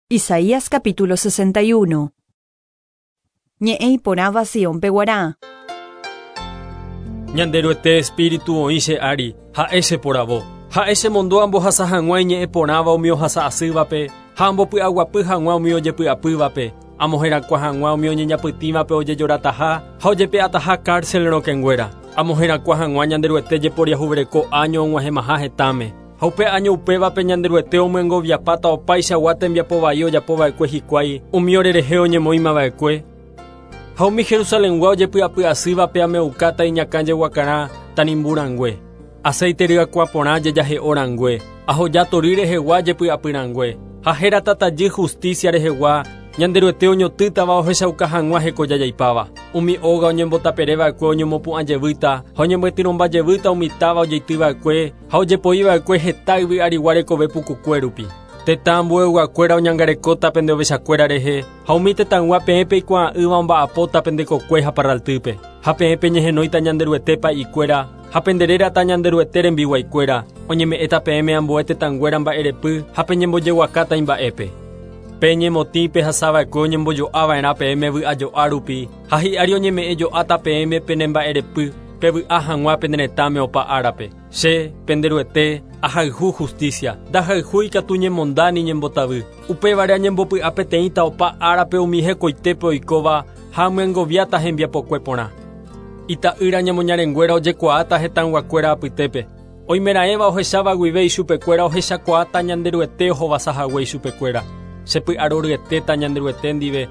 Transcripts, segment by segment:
Isaías capítulo 61. Ñe'ẽ iporãva Siónpe guarã. Ñanderuete Espíritu oĩ che ári, ha'e cheporavo. Ha'e chemondo ambohasa hag̃ua iñe'ẽ porãva umi ohasa asývape ha ambopy'aguapy hag̃ua umi ojepy'apývape, amoherakuã hag̃ua umi oñeñapytĩvape ojejorataha ha ojepe'ataha cárcel rokẽnguéra, amoherakuã hag̃ua Ñanderuete jeporiahuvereko áño og̃uahẽmaha hetãme. Ha upe áño upévape Ñanderuete omyengoviapáta opaichagua tembiapo vai ojapo va'ekue hikuái umi orerehe oñemoĩma va'ekue. Ha umi Jerusalengua ojepy'apy asývape ame'ukáta iñakã jeguakarã tanimbu rangue, aséite ryakuã porã jejahe'o rangue, ahoja tory rehegua jepy'apy rangue, ha hérata tajy hustísia rehegua Ñanderuete oñotỹtava ohechauka hag̃ua hekojajaipáva. Umi óga oñembotapere va'ekue oñemopu'ã jevýta ha oñemyatyrõmba jevýta umi táva ojeity va'ekue ha ojepoi va'ekue heta yvy arigua rekove pukukue rupi. Tetã ambueyguakuéra oñangarekóta pende ovechakuéra rehe, ha umi tetãygua peẽ peikuaa'ỹva omba'apóta pende kokue ha parraltýpe. Ha peẽ peñehenóita Ñanderuete pa'ikuéra, ha pende rérata Ñanderuete rembiguaikuéra, oñeme'ẽta peẽme ambue tetãnguéra mba'erepy ha peñembojeguakáta imba'épe. Pe ñemotĩ pehasava'ekue oñembojo'ava'erã peẽme vy'ajo'a rupi, ha hi'ári oñeme'ẽjo'áta peẽme pene mba'erepy, pevy'a hag̃ua pene retãme opa árape. Che, pende Ruete, ahayhu justícia, ndahayhúi katu ñemonda ni ñembotavy. Upévare añembopy'a peteĩta opa árape umi hekoitépe oikóva ha amyengoviáta hembiapokue porã. Ita'ýra ñemoñarenguéra ojekuaáta hetãyguakuéra apytépe. Oimeraẽva ohecháva guive ichupekuéra ohechakuaáta Ñanderuete ohovasa hague ichupekuéra. Che py'aroryetéta Ñanderuete ndive,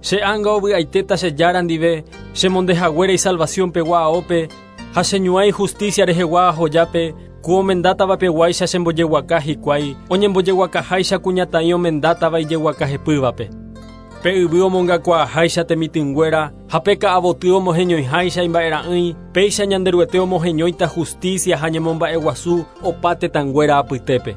che ánga ovy'aitéta che Jára ndive, che monde haguére isalvación pegua aópe, ha che ñuã ijustícia rehegua ahojápe, ku omendátava peguáicha chembojeguaka hikuái, oñembojeguakaháicha kuñataĩ omendátava ijeguaka hepývape. Pe yvy omongakuaaháicha temitỹnguéra ha pe ka'avoty omoheñoiháicha imba'era'ỹi, péicha Ñanderuete omoheñóita justícia ha ñemomba'eguasu opa tetãnguéra apytépe.